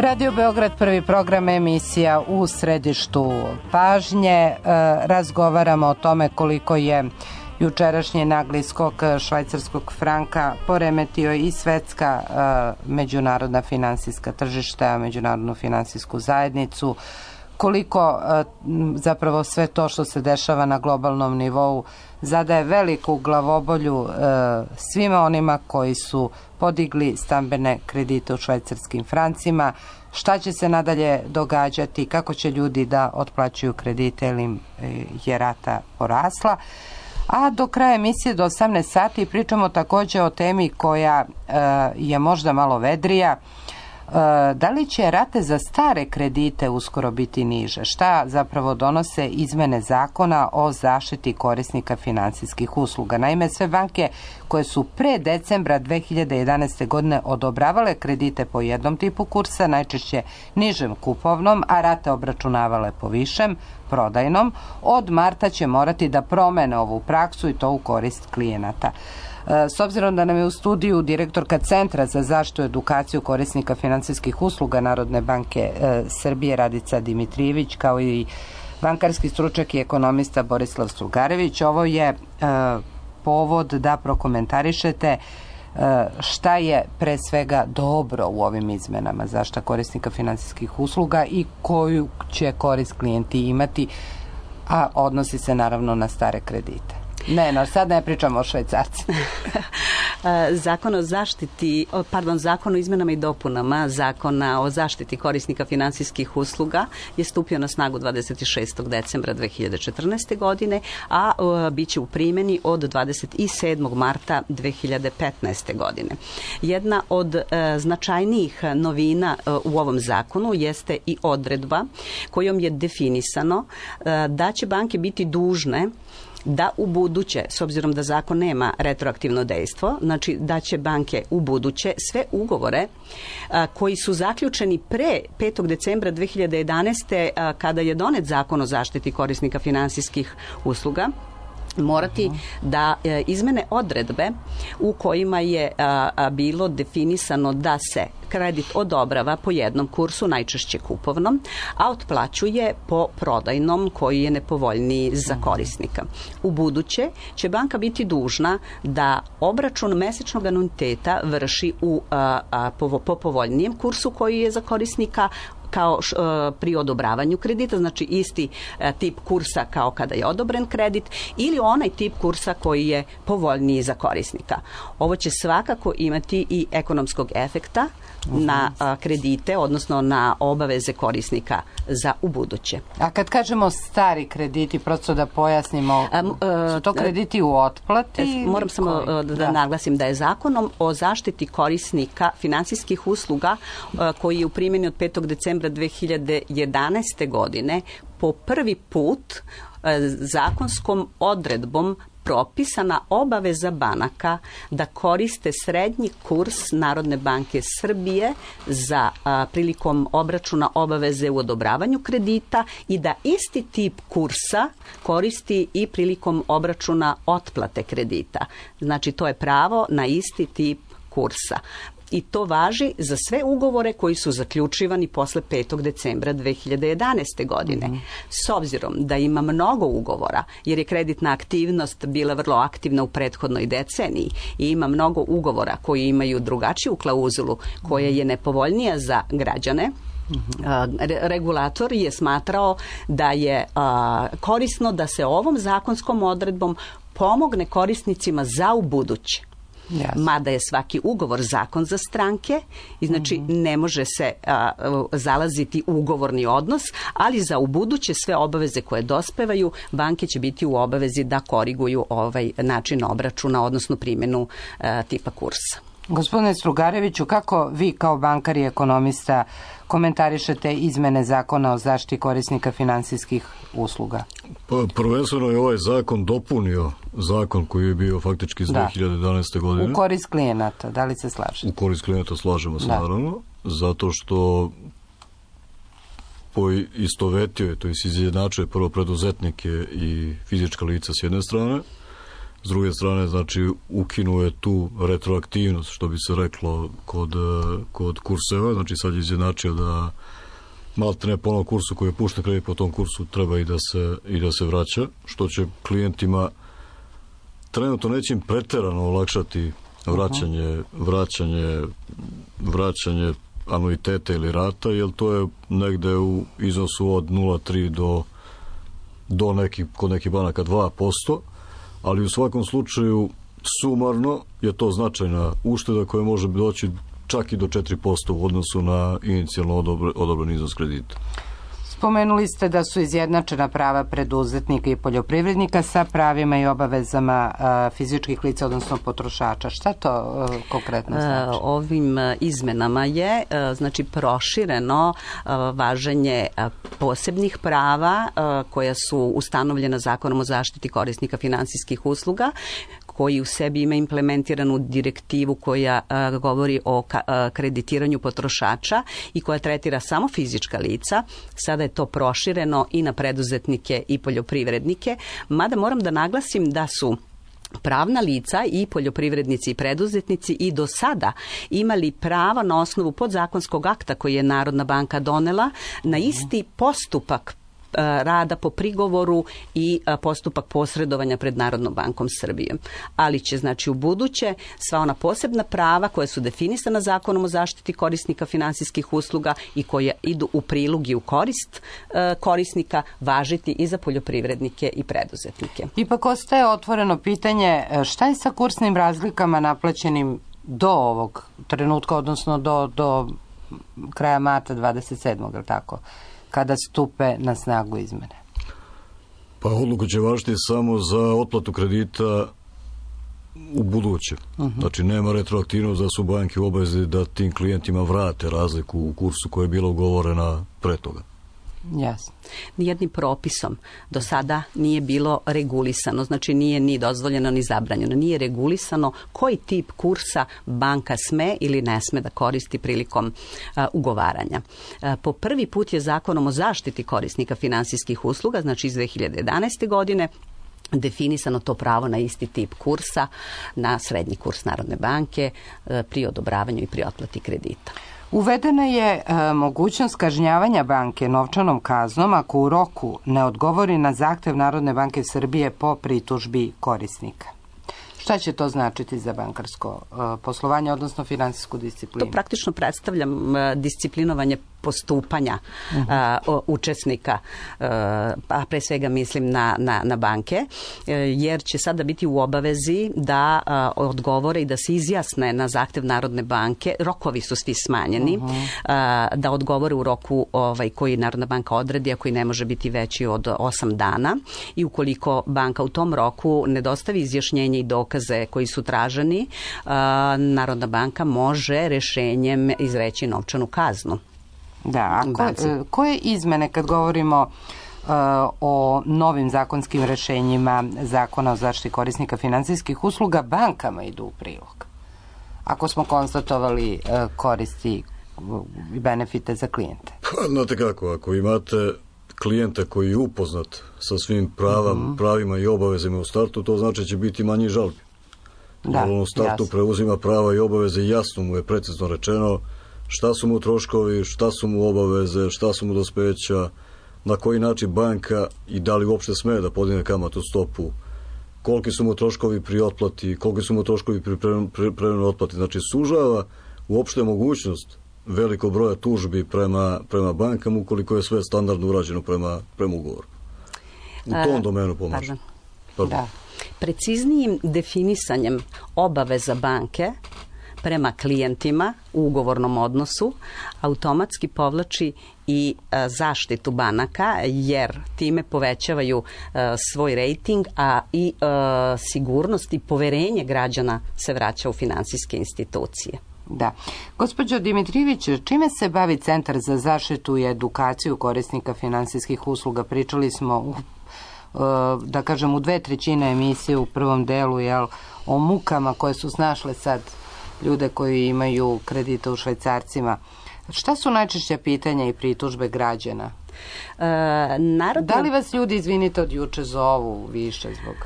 Radio Beograd, prvi program, emisija u središtu pažnje. Razgovaramo o tome koliko je jučerašnji nagli skok švajcarskog franka poremetio i svetska međunarodna finansijska tržišta, međunarodnu finansijsku zajednicu, koliko zapravo sve to što se dešava na globalnom nivou zadaje veliku glavobolju svima onima koji su podigli stambene kredite u švajcarskim francima. Šta će se nadalje događati, kako će ljudi da otplaćuju kredite ili im je rata porasla. A do kraja emisije do osamnaest sati pričamo također o temi koja je možda malo vedrija. Da li će rate za stare kredite uskoro biti niže? Šta zapravo donose izmene zakona o zaštiti korisnika finansijskih usluga? Naime, sve banke koje su pre decembra dve hiljade jedanaeste. godine odobravale kredite po jednom tipu kursa, najčešće nižem kupovnom, a rate obračunavale po višem, prodajnom, od marta će morati da promene ovu praksu i to u korist klijenata. S obzirom da nam je u studiju direktorka Centra za zaštitu i edukaciju korisnika finansijskih usluga Narodne banke Srbije Radica Dimitrijević, kao i bankarski stručnjak i ekonomista Borislav Strugarević, ovo je povod da prokomentarišete šta je pre svega dobro u ovim izmenama zaštita korisnika finansijskih usluga i koju će korist klijenti imati, a odnosi se naravno na stare kredite. Ne, no sad ne pričamo o švajcarcima. Zakon o zaštiti, pardon, zakon o izmenama i dopunama Zakona o zaštiti korisnika finansijskih usluga je stupio na snagu dvadeset šestog decembra dve hiljade četrnaeste. godine, a bit će u primjeni od dvadeset sedmog marta dve hiljade petnaeste. godine. Jedna od značajnijih novina u ovom zakonu jeste i odredba kojom je definisano da će banke biti dužne da u buduće, s obzirom da zakon nema retroaktivno dejstvo, znači da će banke u buduće sve ugovore a, koji su zaključeni pre petog decembra dve hiljade jedanaeste. A, kada je donet zakon o zaštiti korisnika finansijskih usluga, morati da e, izmene odredbe u kojima je a, a, bilo definisano da se kredit odobrava po jednom kursu, najčešće kupovnom, a otplaćuje po prodajnom koji je nepovoljniji za korisnika. U buduće će banka biti dužna da obračun mesečnog anuiteta vrši u, a, a, po, po povoljnijem kursu koji je za korisnika kao š, e, pri odobravanju kredita, znači isti e, tip kursa kao kada je odobren kredit, ili onaj tip kursa koji je povoljniji za korisnika. Ovo će svakako imati i ekonomskog efekta na a, kredite, odnosno na obaveze korisnika za ubuduće. A kad kažemo stari krediti, prosto da pojasnimo, a, a, su to krediti u otplati? Moram samo koji? da, da naglasim da je zakonom o zaštiti korisnika finansijskih usluga a, koji je u primjeni od petog decembra dve hiljade jedanaeste. godine po prvi put a, zakonskom odredbom propisana obaveza banaka da koriste srednji kurs Narodne banke Srbije za a, prilikom obračuna obaveze u odobravanju kredita i da isti tip kursa koristi i prilikom obračuna otplate kredita. Znači to je pravo na isti tip kursa. I to važi za sve ugovore koji su zaključivani posle petog decembra dve hiljade jedanaeste. godine. Mm-hmm. S obzirom da ima mnogo ugovora, jer je kreditna aktivnost bila vrlo aktivna u prethodnoj deceniji i ima mnogo ugovora koji imaju drugačiju klauzulu koja je nepovoljnija za građane, mm-hmm. regulator je smatrao da je a, korisno da se ovom zakonskom odredbom pomogne korisnicima za ubuduće. Jasne. Mada je svaki ugovor zakon za stranke i znači mm-hmm. ne može se a, zalaziti u ugovorni odnos, ali za ubuduće sve obaveze koje dospevaju, banke će biti u obavezi da koriguju ovaj način obračuna, odnosno primjenu a, tipa kursa. Gospodine Strugareviću, kako vi kao bankar i ekonomista komentarišete izmene zakona o zaštiti korisnika finansijskih usluga? Pa, prvenstveno je ovaj zakon dopunio zakon koji je bio faktički iz da. dve hiljade jedanaeste. godine. U korist klijenata, da li se slažete? U korist klijenata slažemo se, da. naravno, zato što poistovetio je, to je izjednačuje prvo preduzetnike i fizička lica s jedne strane, S druge strane, znači, ukinuje tu retroaktivnost, što bi se reklo kod, kod kurseva, znači sad je izjednačio da maltene po onom kursu koji je pušten kredit po tom kursu treba i da se, i da se vraća, što će klijentima trenutno neće im preterano olakšati vraćanje, vraćanje, vraćanje anuiteta ili rata, jer to je negde u iznosu od nula zarez tri do, do nekih, kod nekih banaka dva posto, ali u svakom slučaju sumarno je to značajna ušteda koja može doći čak i do četiri posto u odnosu na inicijalno odobren iznos kredita. Spomenuli ste da su izjednačena prava preduzetnika i poljoprivrednika sa pravima i obavezama a, fizičkih lica, odnosno potrošača. Šta to a, konkretno znači? Ovim izmenama je a, znači prošireno a, važenje a, posebnih prava a, koja su ustanovljena Zakonom o zaštiti korisnika finansijskih usluga, koji u sebi ima implementiranu direktivu koja a, govori o ka, a, kreditiranju potrošača i koja tretira samo fizička lica. Sada je to prošireno i na preduzetnike i poljoprivrednike, mada moram da naglasim da su pravna lica i poljoprivrednici i preduzetnici i do sada imali prava na osnovu podzakonskog akta koji je Narodna banka donela na isti postupak rada po prigovoru i postupak posredovanja pred Narodnom bankom Srbije. Ali će, znači, u buduće sva ona posebna prava koja su definisana Zakonom o zaštiti korisnika finansijskih usluga i koja idu u prilog i u korist korisnika važiti i za poljoprivrednike i preduzetnike. Ipak ostaje otvoreno pitanje šta je sa kursnim razlikama naplaćenim do ovog trenutka, odnosno do, do kraja marta dvadeset sedmog, je li tako? Kada stupe na snagu izmene? Pa odluka će važiti samo za otplatu kredita u buduće. Uh-huh. Znači, nema retroaktivnost da su banke u obavezi da tim klijentima vrate razliku u kursu koja je bila ugovorena pre toga. Jasno. Nijednim propisom do sada nije bilo regulisano, znači nije ni dozvoljeno ni zabranjeno, nije regulisano koji tip kursa banka sme ili ne sme da koristi prilikom a, ugovaranja. A, po prvi put je Zakonom o zaštiti korisnika finansijskih usluga, znači iz dve hiljade jedanaeste. godine, definisano to pravo na isti tip kursa, na srednji kurs Narodne banke a, pri odobravanju i pri otplati kredita. Uvedena je e, mogućnost kažnjavanja banke novčanom kaznom ako u roku ne odgovori na zahtev Narodne banke Srbije po pritužbi korisnika. Šta će to značiti za bankarsko e, poslovanje, odnosno finansijsku disciplinu? To praktično predstavlja e, disciplinovanje postupanja uh-huh. a, o, učesnika, a, a pre svega mislim na, na, na banke, a, jer će sada biti u obavezi da a, odgovore i da se izjasne na zahtev Narodne banke. Rokovi su svi smanjeni, uh-huh. a, da odgovore u roku ovaj, koji Narodna banka odredi, a koji ne može biti veći od osam dana. I ukoliko banka u tom roku ne dostavi izjašnjenje i dokaze koji su traženi, a, Narodna banka može rešenjem izreći novčanu kaznu. Da, a ko, koje izmene kad govorimo uh, o novim zakonskim rešenjima Zakona o zaštiti korisnika finansijskih usluga bankama idu u prilog? Ako smo konstatovali uh, koristi i benefite za klijente. Pa, znate kako, ako imate klijenta koji je upoznat sa svim pravam, mm-hmm. pravima i obavezima u startu, to znači će biti manji žalbi. Da, on u startu jasno. Preuzima prava i obaveze, jasno mu je precizno rečeno šta su mu troškovi, šta su mu obaveze, šta su mu dospeća, na koji način banka i da li uopšte sme da podigne kamatnu stopu, koliki su mu troškovi pri otplati, koliki su mu troškovi pri prevremenoj otplati. Znači, sužava uopšte mogućnost velikog broja tužbi prema, prema bankama ukoliko je sve standardno urađeno prema, prema ugovoru. U tom e, domenu pomaže. Pardon. Pardon. Da. Preciznijim definisanjem obaveza banke prema klijentima u ugovornom odnosu automatski povlači i a, zaštitu banaka, jer time povećavaju a, svoj rejting, a i a, sigurnost i poverenje građana se vraća u finansijske institucije. Da. Gospođo Dimitrijević, čime se bavi Centar za zaštitu i edukaciju korisnika finansijskih usluga? Pričali smo u da kažem u dve trećine emisije u prvom delu, jel, o mukama koje su snašle sad ljude koji imaju kredite u švajcarcima. Šta su najčešća pitanja i pritužbe građana? E, narodno... Da li vas ljudi, izvinite, od juče zovu više zbog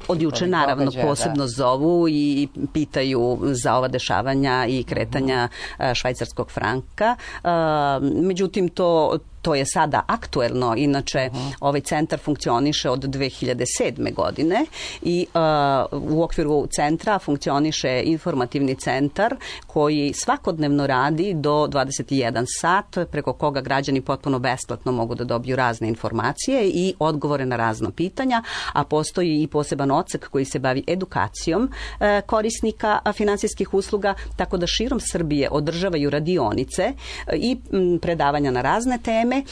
Od juče naravno događaja, posebno da. zovu i pitaju za ova dešavanja i kretanja uh-huh. švajcarskog franka. Međutim, to To je sada aktuelno, inače uh-huh. ovaj centar funkcioniše od dve hiljade sedme. godine i uh, u okviru centra funkcioniše informativni centar koji svakodnevno radi do dvadeset jedan sat, preko koga građani potpuno besplatno mogu da dobiju razne informacije i odgovore na razna pitanja, a postoji i poseban odsek koji se bavi edukacijom uh, korisnika finansijskih usluga, tako da širom Srbije održavaju radionice uh, i m, predavanja na razne teme. E,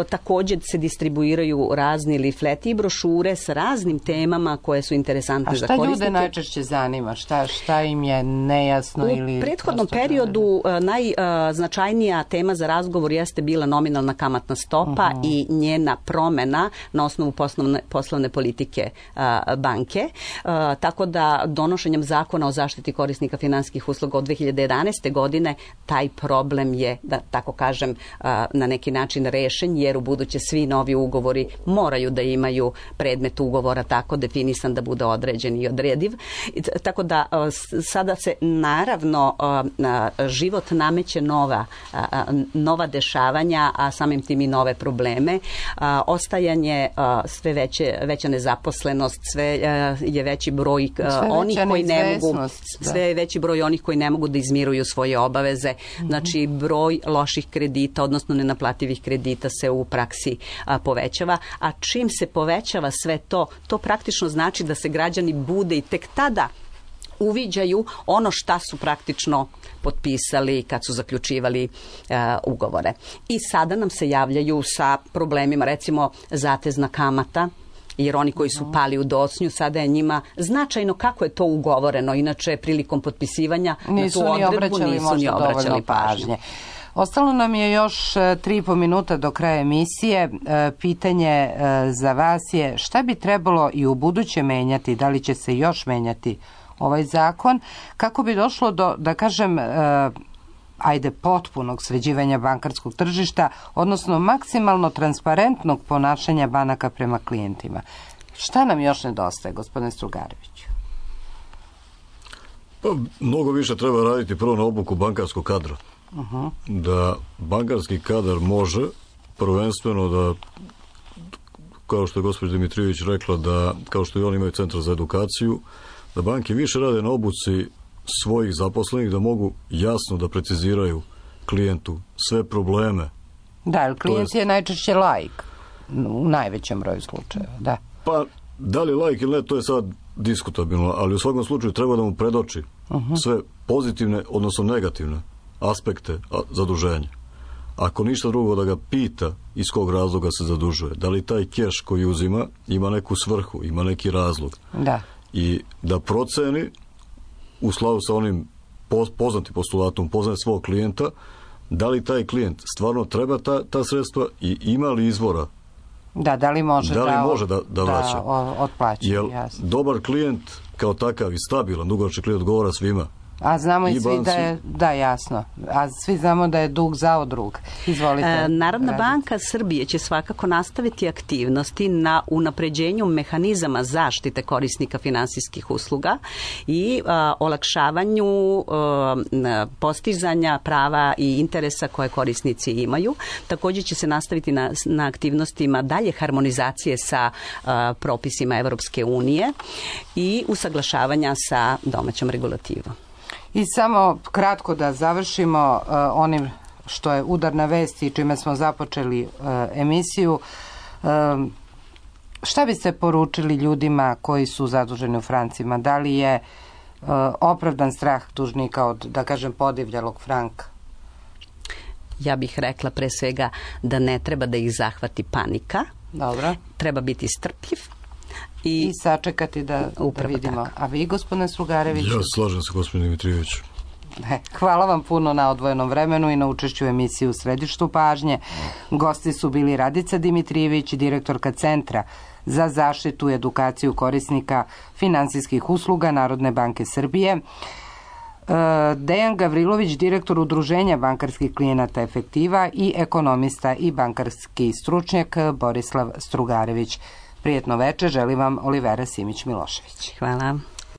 također se distribuiraju razni lifleti i brošure sa raznim temama koje su interesantne za korisnike. A šta ljude najčešće zanima? Šta, šta im je nejasno? U ili prethodnom periodu najznačajnija tema za razgovor jeste bila nominalna kamatna stopa uh-huh. i njena promena na osnovu poslovne, poslovne politike a, banke. A, tako da donošenjem zakona o zaštiti korisnika finansijskih usluga od dve hiljade jedanaeste. godine taj problem je, da tako kažem, a, na neki način rešen, jer u buduće svi novi ugovori moraju da imaju predmet ugovora tako definisan da bude određen i odrediv. Tako da sada se naravno život nameće nova, nova dešavanja, a samim tim i nove probleme. Ostajanje sve veće, veća nezaposlenost, sve je veći broj onih koji ne mogu, sve je veći broj onih koji ne mogu da izmiruju svoje obaveze. Znači broj loših kredita, odnosno nenaplativih kredita se u praksi a, povećava, a čim se povećava sve to, to praktično znači da se građani bude i tek tada uviđaju ono šta su praktično potpisali kad su zaključivali uh, ugovore. I sada nam se javljaju sa problemima, recimo zatezna kamata, jer oni koji su pali u docnju, sada je njima značajno kako je to ugovoreno, inače prilikom potpisivanja nisu na tu odredbu obraćali, nisu ni obraćali pažnje. pažnje. Ostalo nam je još tri i po minuta do kraja emisije. Pitanje za vas je šta bi trebalo i u buduće menjati, da li će se još menjati ovaj zakon, kako bi došlo do, da kažem, ajde, potpunog sređivanja bankarskog tržišta, odnosno maksimalno transparentnog ponašanja banaka prema klijentima. Šta nam još nedostaje, gospodine Strugareviću? Pa, mnogo više treba raditi prvo na obuku bankarskog kadra. Uh-huh. Da bankarski kadar može prvenstveno da, kao što je gospođa Dimitrijević rekla, da kao što i oni imaju centar za edukaciju, da banke više rade na obuci svojih zaposlenih, da mogu jasno da preciziraju klijentu sve probleme. Da, jer klijent je, je najčešće laik u najvećem broju slučajeva, da. Pa, da li laik ili ne, to je sad diskutabilno, ali u svakom slučaju treba da mu predoči uh-huh. sve pozitivne, odnosno negativne aspekte zaduženja. Ako ništa drugo, da ga pita iz kog razloga se zadužuje. Da li taj keš koji uzima ima neku svrhu, ima neki razlog. Da. I da proceni u skladu sa onim poznatim postulatom, poznaje svog klijenta, da li taj klijent stvarno treba ta, ta sredstva i ima li izvora. Da, da li može da, li da, može da, da vraća. Da otplaća, jer jasno. Dobar klijent kao takav i stabilan, dugoročni klijent odgovara svima. A znamo i, i svi da je, da jasno, a svi znamo da je dug zao drug. Izvolite. E, Narodna banka Srbije će svakako nastaviti aktivnosti na unapređenju mehanizama zaštite korisnika finansijskih usluga i a, olakšavanju a, postizanja prava i interesa koje korisnici imaju. Također će se nastaviti na, na aktivnostima dalje harmonizacije sa a, propisima Evropske unije i usaglašavanja sa domaćom regulativom. I samo kratko da završimo uh, onim što je udarna vest i čime smo započeli uh, emisiju. Uh, šta biste poručili ljudima koji su zaduženi u francima? Da li je uh, opravdan strah dužnika od, da kažem, podivljalog franka? Ja bih rekla pre svega da ne treba da ih zahvati panika. Dobro. Treba biti strpljiv. I, I sačekati da, da vidimo. Tako. A vi, gospodine Strugarević? Ja slažem se, gospodine Dimitrijević. Hvala vam puno na odvojenom vremenu i na učešću u emisiji U središtu pažnje. Gosti su bili Radica Dimitrijević, direktorka Centra za zaštitu i edukaciju korisnika finansijskih usluga Narodne banke Srbije, Dejan Gavrilović, direktor Udruženja bankarskih klijenata Efektiva i ekonomista i bankarski stručnjak Borislav Strugarević. Prijetno veče, želim vam Olivera Simić-Milošević. Hvala.